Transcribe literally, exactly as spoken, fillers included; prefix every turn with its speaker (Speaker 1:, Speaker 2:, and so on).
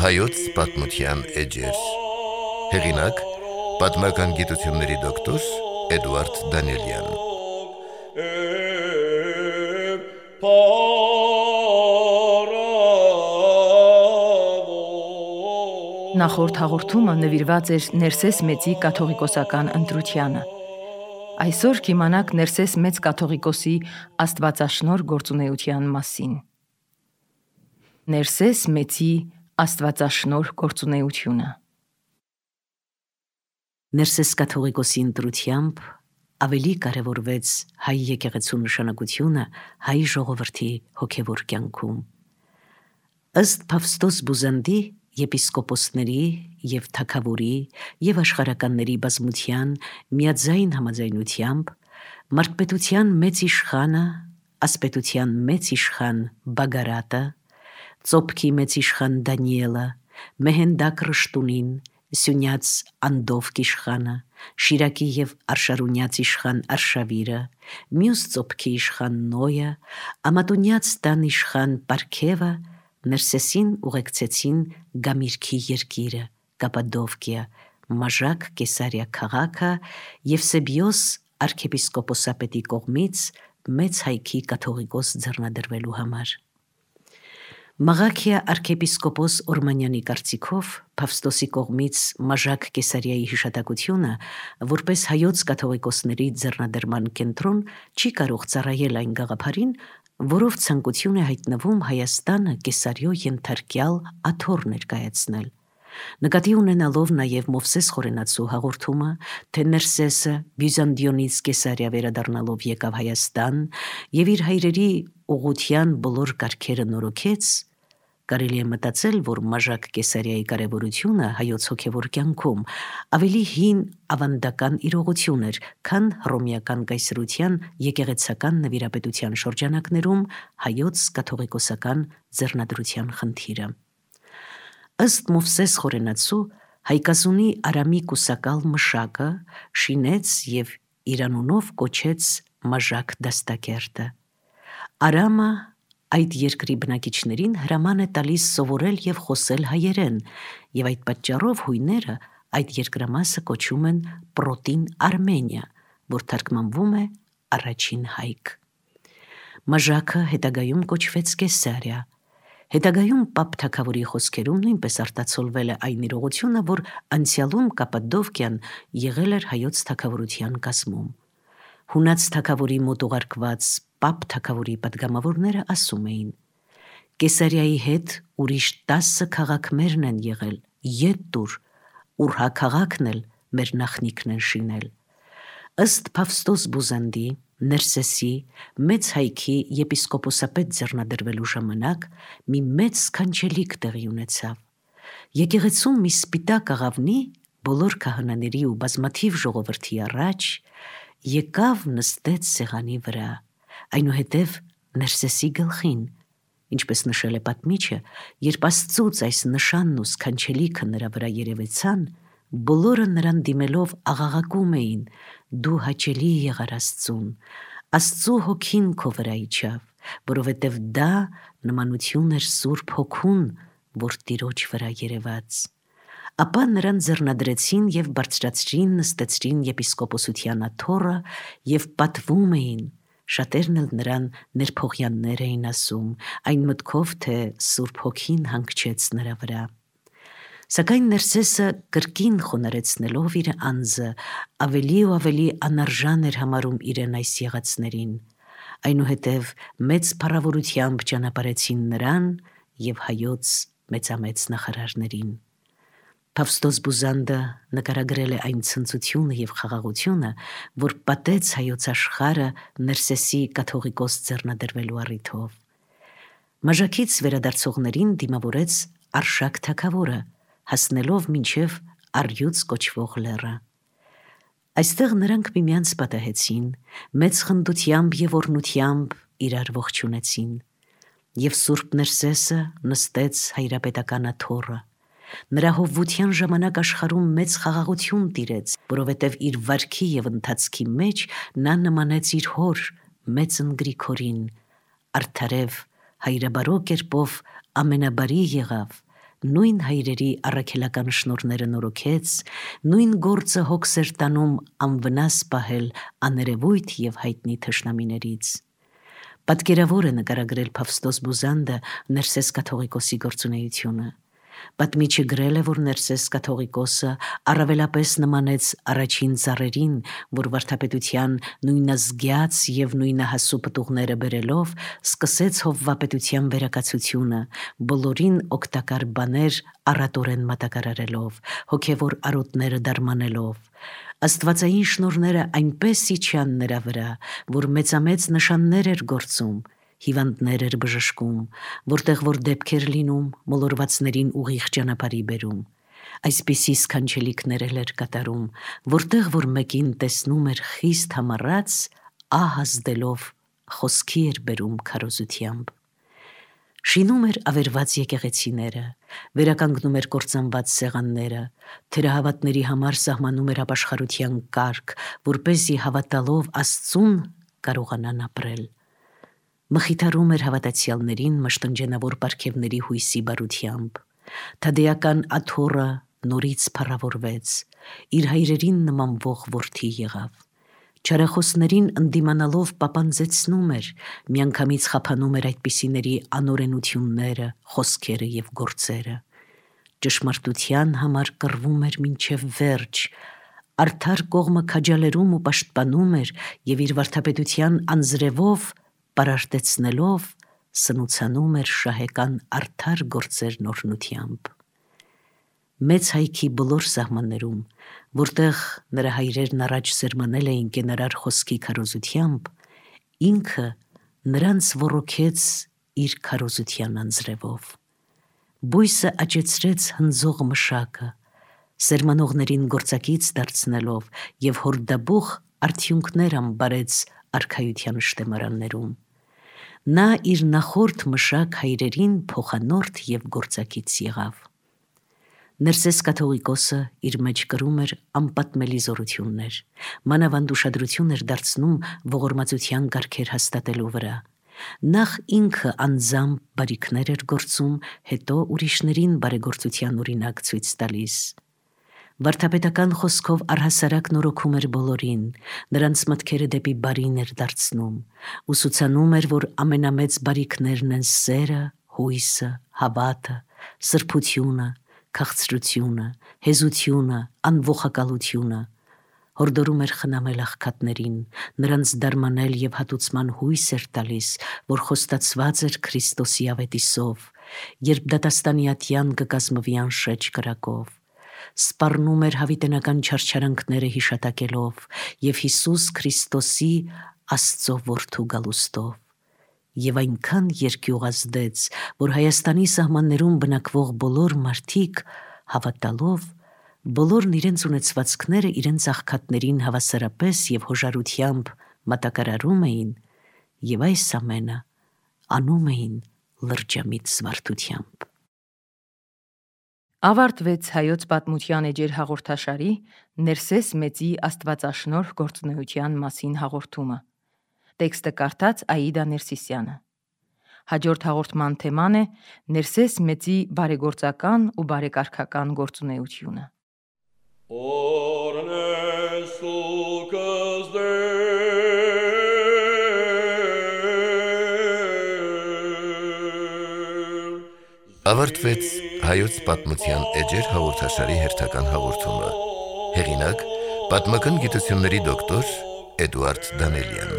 Speaker 1: Հայոց պատմության էջեր։ Հեղինակ՝ պատմական գիտությունների դոկտոր Էդուարդ Դանիելյան։
Speaker 2: Նախորդ հաղորդումը նվիրված էր Ներսես մեծի կաթողիկոսական ընտրությանը։ Այսօր կիմանաք Ներսես մեծ կաթողիկոսի աստվածաշնորհ գործունեության մասին։ Ներսես մեծի աստվածաշնորհ գործունեությունը։
Speaker 3: Ներսես կաթողիկոսի ընտրությամբ ավելի կարևորվեց հայ եկեղեցու նշանակությունը հայ ժողովրդի հոգևոր կյանքում։ Ըստ Փավստոս Բուզանդի եպիսկոպոսների և թագավորի և աշխարհականների բազմության միաձայն համաձայնությամբ մարդպետության մեծ իշխանը, ասպետության մեծ իշխան Բագարատը, ծոփքի մեծ իշխան Դանիելը, Մեհենդակ Ռշտունին, Սյունյաց Անդովկ իշխանը, Շիրակի և Արշարունյաց իշխան Արշավիրը, մյուս ծոփքի իշխան Նոյը, Ամատունյաց տան իշխան Պարքևը Ներսեսին ուղեկցեցին Գամիրքի երկիրը, Կապադովկիա, Մաժակ Կեսարիա քաղաքը և Սեբիոս արքեպիսկոպոսապետի կողմից մեծ հայքի կաթողիկոս ձեռնադրվելու համար։ Մաղաքիա արքեպիսկոպոս Օրմանյանի կարծիքով Փավստոսի կողմից Մաժակ Կեսարիայի հիշատակությունը որպես հայոց կաթողիկոսների ձեռնադրման կենտրոն չի կարող ծառայել այն գաղափարին, որով ցանկություն է հայտնվում Հայաստանը Կեսարիո ենթարկյալ աթոռ ներկայացնել։ Նկատի ունենալով նաև Մովսես Խորենացու հաղորդումը, թե Ներսեսը Բյուզանդիոնից Կեսարիա վերադառնալով եկավ Հայաստան և իր հայրերի ուղղության բոլոր կարգերը նորոգեց, կարելի է մտածել, որ Մաժակ Կեսարիայի կարևորությունը հայոց հոգևոր կյանքում ավելի հին ավանդական իրողություն էր, քան հռոմեական կայսրության եկեղեցական նվիրապետության շրջանակներում հայոց կաթողիկոսական ձեռնադրության խնդիրը։ Ըստ Մովսես Խորենացու, հայկազունի Արամի կուսակալ Մշակը շինեց և իր անունով կոչեց Մաժակ դաստակերտը։ Արամը այդ երկրի բնակիչներին հրաման է տալիս սովորել և խոսել հայերեն, և այդ պատճառով հույները այդ երկրամասը կոչում են Պրոտին Արմենիա, որ թարգմանվում է առաջին հայք։ Մաժակը հետագայում կոչվեց Կեսարիա։ Հետագայում Պապ թագավորի խոսքերում նույնպես արտացոլվել է այն իրողությունը, որ անցյալում Կապադովկիան եղել էր հայոց թագավորության կազմում։ Հունաց թագավորի մոտ ուղարկված Պապ թագավորի պատգամավորները ասում էին. Կեսարիայի հետ ուրիշ տասը քաղաքներն են եղել, ետ տուր, Ուրհա քաղաքն էլ մեր նախնիքն են շինել։ Ըստ Փավստոս Բուզանդի, Ներսեսի մեծ հայքի եպիսկոպոսապետ ձեռնադրվելու ժամանակ մի մեծ սքանչելիք տեղի ունեցավ։ Եկեղեցում մի սպիտակ աղավնի բոլոր քահանաների ու բազմաթիվ ժողովրդի առաջ եկավ նստեց սեղանի վրա, այնուհետև Ներսեսի գլխին, ինչպես նշել է պատմիչը, երբ Աստծուց այս նշանն ու սքանչելիքը նրա վրա երևեցան, բոլորը նրան դիմելով աղաղակում էին. «Դու հաճելի եղար Աստծուն, Աստծու հոգին քո վրա իջավ, որովհետև դա նմանություն էր Սուրբ Հոգուն, որ Տիրոջ վրա երևաց»։ Ապա նրան ձեռնադրեցին և բարձրացրին նստեցրին եպիսկոպոսության աթոռը և պատվում էին, շատերն էլ նրան ներփոխյաններ էին ասում, այն մտքով, թե Սուրբ Հոգին հանգչեց նրա վրա։ Սակայն Ներսեսը կրկին խոնարհեցնելով իր անձը, ավելի ու ավելի անարժան էր համարում իրեն այս եղածներին։ Այնուհետև մեծ փառավորությամբ ճանապարհեցին նրան և հայոց մեծամեծ նախարարներին։ Փավստոս Բուզանդը նկարագրել է այն ցնծությունը և խաղաղությունը, որ պատեց հայոց աշխարհը Ներսեսի կաթողիկոս ձեռնադրվելու առիթով։ Մաժակից վերադարձողներին դիմավորեց Արշակ թագավորը, հասնելով մինչև Առյուծ կոչվող լեռը։ Այստեղ նրանք միմյանց պատահեցին, մեծ խնդությամբ և օրհնությամբ իրար ողջունեցին, և Սուրբ Ներսեսը նստեց հայրապետական աթոռը, Նրա հովվության ժամանակ աշխարհում մեծ խաղաղություն տիրեց, որովհետև իր վարքի եւ ընթացքի մեջ նա նմանեց իր հոր մեծն Գրիգորին, արդարև հայրաբարո կերպով ամենաբարի եղավ, նույն հայրերի առաքելական շնորհները նորոգեց, նույն գործը հոգս էր տանում անվնաս պահել աներևույթ եւ հայտնի թշնամիներից։ Պատկերավոր է նկարագրել Փավստոս Բուզանդը Ներսես կաթողիկոսի գործունեությունը։ Պատմիչը գրել է, որ Ներսես կաթողիկոսը առավելապես նմանեց առաջին ծառերին, որ վարդապետության նույնազգյաց եւ նույնահասու պտուղները բերելով սկսեց հովվապետության վերակացությունը, բոլորին օգտակար բաներ առատորեն մատակարարելով, հոգևոր արոտները դարմանելով։ Աստվածային շնորհները այնպես իջան նրա վրա, որ մեծամեծ նշաններ էր գործում, հիվանդներ էր բժշկում, որտեղ որ դեպքեր լինում, մոլորվածներին ուղիղ ճանապարհի բերում։ Այսպիսի սքանչելիքներ էր կատարում, որտեղ որ մեկին տեսնում էր խիստ համառած, ահ ազդելով խոսքի էր բերում քարոզությամբ։ Շինում էր ավերված եկեղեցիները, վերականգնում էր կործանված սեղանները, թերահավատների համար սահմանում էր ապաշխարության կարգ, որպեսզի հավատալով Աստծուն կարողանան ապրել։ Մխիթարում էր հավատացյալներին մշտնջենավոր պարգևների հույսի բարությամբ։ Թադեական Աթոռը նորից փառավորվեց, իր հայրերին նմանվող որդի եղավ։ Չարախոսներին ընդդիմանալով պապանձեցնում էր, միանգամից խափանում էր այդպիսիների անօրենությունները, խոսքերը եւ գործերը։ Ճշմարտության համար կռվում էր մինչև վերջ, արդար կողմը քաջալերում ու պաշտպանում էր եւ իր վարդապետության անձրևով պարարտեցնելով սնուցանում էր շահեկան արդար գործերն օրհնությամբ։ Մեծ հայքի բոլոր սահմաններում, որտեղ նրա հայրերն առաջ սերմանել էին կենարար խոսքի քարոզությամբ, ինքը նրանց ոռոգեց իր քարոզության անձրևով։ Բույսը աճեցրեց հնձող մշակը, սերմանողներին գործակից դարձնելով եւ հորդաբուխ արդյունքներ ամբարեց արքայության շտեմարաններում։ Նա իր նախորդ մշակ հայրերին փոխանորդ եւ գործակից եղավ։ Ներսես կաթողիկոսը իր մեջ կրում էր անպատմելի զորություններ, մանավանդ ուշադրություն էր դարձնում ողորմածության կարգեր հաստատելու վրա։ Նախ ինքը անձամբ բարիքներ էր գործում, հետո ուրիշներին բարեգործության օրինակ ցույց տալիս։ Վարդապետական խոսքով առհասարակ նորոգում էր բոլորին, նրանց մտքերը դեպի բարին էր դարձնում, ուսուցանում էր, որ ամենամեծ բարիքներն են սերը, հույսը, հավատը, սրբությունը, քաղցրությունը, հեզությունը, անողակալությունը, հորդորում էր խնամել աղքատներին, նրանց դարմանել եւ հատուցման հույս էր տալիս, որ խոստացված էր Քրիստոսի ավետիսով, երբ դատաստանյատյան կկազմվի անշեջ կրակով, սպառնում էր հավիտենական չարչարանքները հիշատակելով եւ Հիսուս Քրիստոսի Աստծո որդու գալուստով։ Եվ այնքան երկյուղ ազդեց, որ Հայաստանի սահմաններում բնակվող բոլոր մարդիկ հավատալով, բոլորն իրենց ունեցվածքները իրենց աղքատներին հավասարապես եւ հոժարությամբ մատակարարում էին եւ այս ամենը անում էին լրջամիտ զվարթությամբ։
Speaker 2: Ավարտվեց հայոց պատմության էջեր հաղորդաշարի Ներսես մեծի աստվածաշնորհ գործունեության մասին հաղորդումը։ Տեքստը կարդաց Աիդա Ներսիսյանը։ Հաջորդ հաղորդման թեման է Ներսես մեծի բարեգործական ու բարեկարգական գործունեությունը։
Speaker 1: Ավարտվեց հայոց պատմության էջեր հաղորդաշարի հերթական հաղորդումը։ Հեղինակ՝ պատմական գիտությունների դոկտոր Էդուարդ Դանելյան։